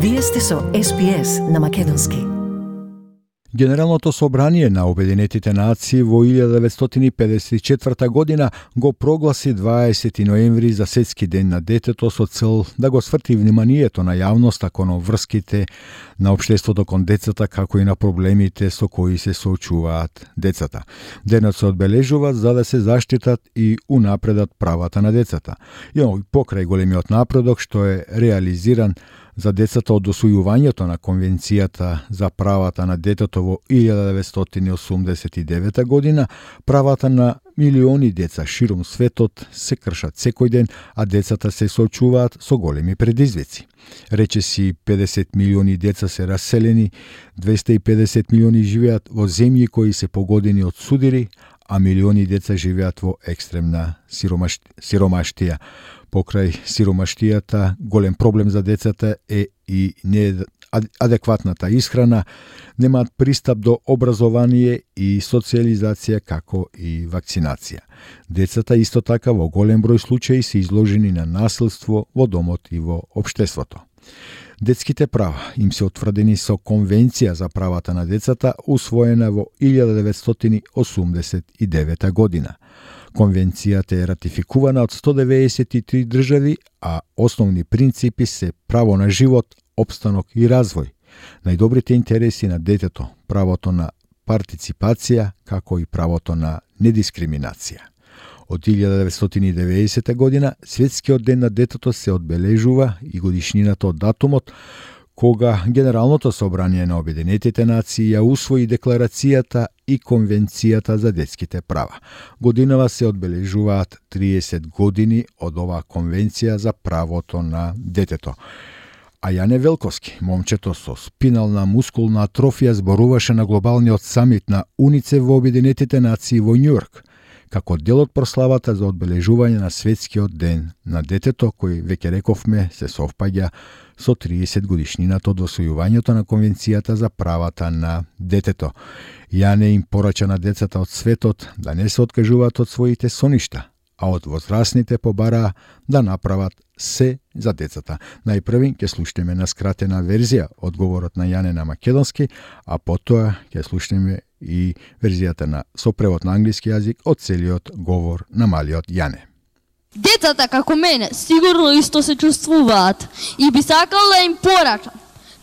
Вие сте со SPS на Македонски. Генералното собрание на Обединетите нации во 1954 година го прогласи 20 ноември за Светски ден на детето со цел да го сврти вниманието на јавноста кон врските на општеството кон децата, како и на проблемите со кои се соочуваат децата. Денот се одбележува за да се заштитат и унапредат правата на децата. И покрај големиот напредок што е реализиран за децата од усвојувањето на Конвенцијата за правата на детето во 1989 година, правата на милиони деца широм светот се кршат секој ден, а децата се соочуваат со големи предизвици. Речиси 50 милиони деца се раселени, 250 милиони живеат во земји кои се погодени од судири, а милиони деца живеат во екстремна сиромаштија. Покрај сиромаштијата, голем проблем за децата е и неадекватната исхрана, немаат пристап до образование и социализација, како и вакцинација. Децата исто така во голем број случаи се изложени на насилство во домот и во општеството. Детските права им се утврдени со Конвенција за правата на децата, усвоена во 1989 година. Конвенцијата е ратификувана од 193 држави, а основни принципи се право на живот, опстанок и развој, најдобрите интереси на детето, правото на партиципација, како и правото на недискриминација. Од 1990 година Светскиот ден на детето се одбележува и годишнината од датумот кога Генералното собрание на Обединетите нации ја усвои Декларацијата и Конвенцијата за детските права. Годинава се одбележуваат 30 години од оваа Конвенција за правото на детето. А Јане Велковски, момчето со спинална мускулна атрофија, зборуваше на глобалниот самит на УНИЦЕФ во Обединетите нации во Њујорк, како дел од прославата за одбележување на Светскиот ден на детето, кој, веќе рековме, се совпаѓа со 30 годишнината од усвојувањето на Конвенцијата за правата на детето. Јане им порача на децата од светот да не се откажуваат од своите соништа, а од возрастните побараа да направат се за децата. Најпрви ќе слушнеме на скратена верзија одговорот на Јане на македонски, а потоа ќе слушнеме и верзијата на со превод на англиски јазик од целиот говор на малиот Јане. Децата како мене сигурно исто се чувствуваат и би сакал да им порачам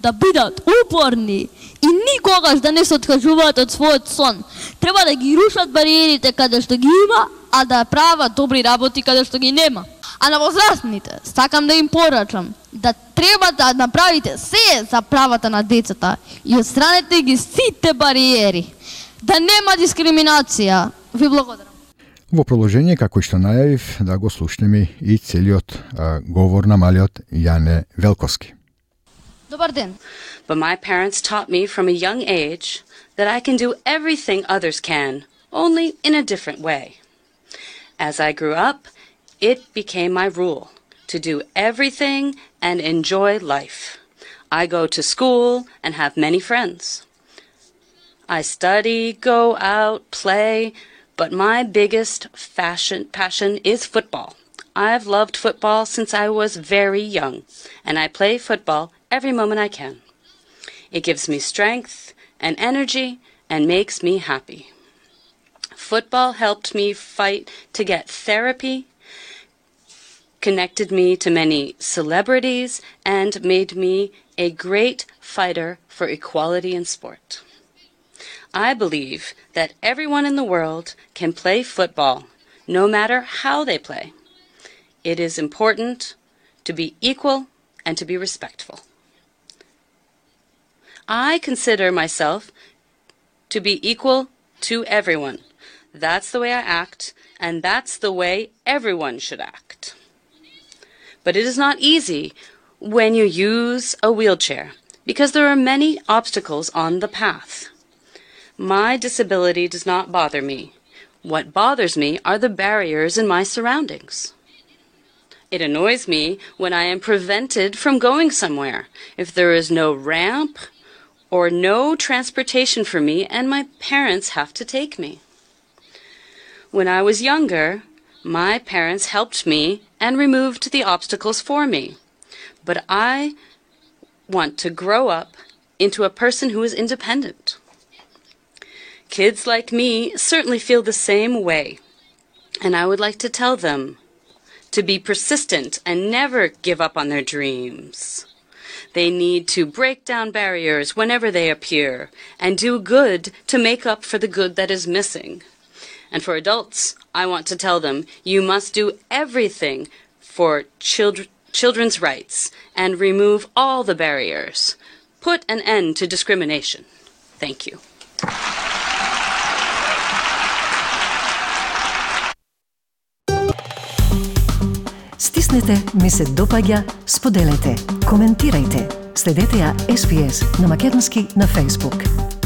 да бидат упорни и никогаш да не се откажуваат од својот сон. Треба да ги рушат бариерите каде што ги има, а да прават добри работи каде што ги нема. А на возрастните сакам да им порачам да треба да направите се за правата на децата и отстранете ги сите бариери. Да нема дискриминација. Ви благодарам. Во продолжение, како што најавив, да го слушнеме и целиот говор на малиот Јане Велковски. Добар ден. But my parents taught me from a young age that I can do everything others can, only in a different way. As I grew up, it became my rule to do everything and enjoy life. I go to school and have many friends. I study, go out, play, but my biggest passion is football. I've loved football since I was very young, and I play football every moment I can. It gives me strength and energy and makes me happy. Football helped me fight to get therapy, connected me to many celebrities, and made me a great fighter for equality in sport. I believe that everyone in the world can play football, no matter how they play. It is important to be equal and to be respectful. I consider myself to be equal to everyone. That's the way I act, and that's the way everyone should act. But it is not easy when you use a wheelchair, because there are many obstacles on the path. My disability does not bother me. What bothers me are the barriers in my surroundings. It annoys me when I am prevented from going somewhere, if there is no ramp or no transportation for me and my parents have to take me. When I was younger, my parents helped me and removed the obstacles for me, but I want to grow up into a person who is independent. Kids like me certainly feel the same way, and I would like to tell them to be persistent and never give up on their dreams. They need to break down barriers whenever they appear and do good to make up for the good that is missing. And for adults, I want to tell them you must do everything for children's rights and remove all the barriers. Put an end to discrimination. Thank you. Стиснете, ми се допаѓа, споделете, коментирајте. Следете ја SPS на Македонски на Facebook.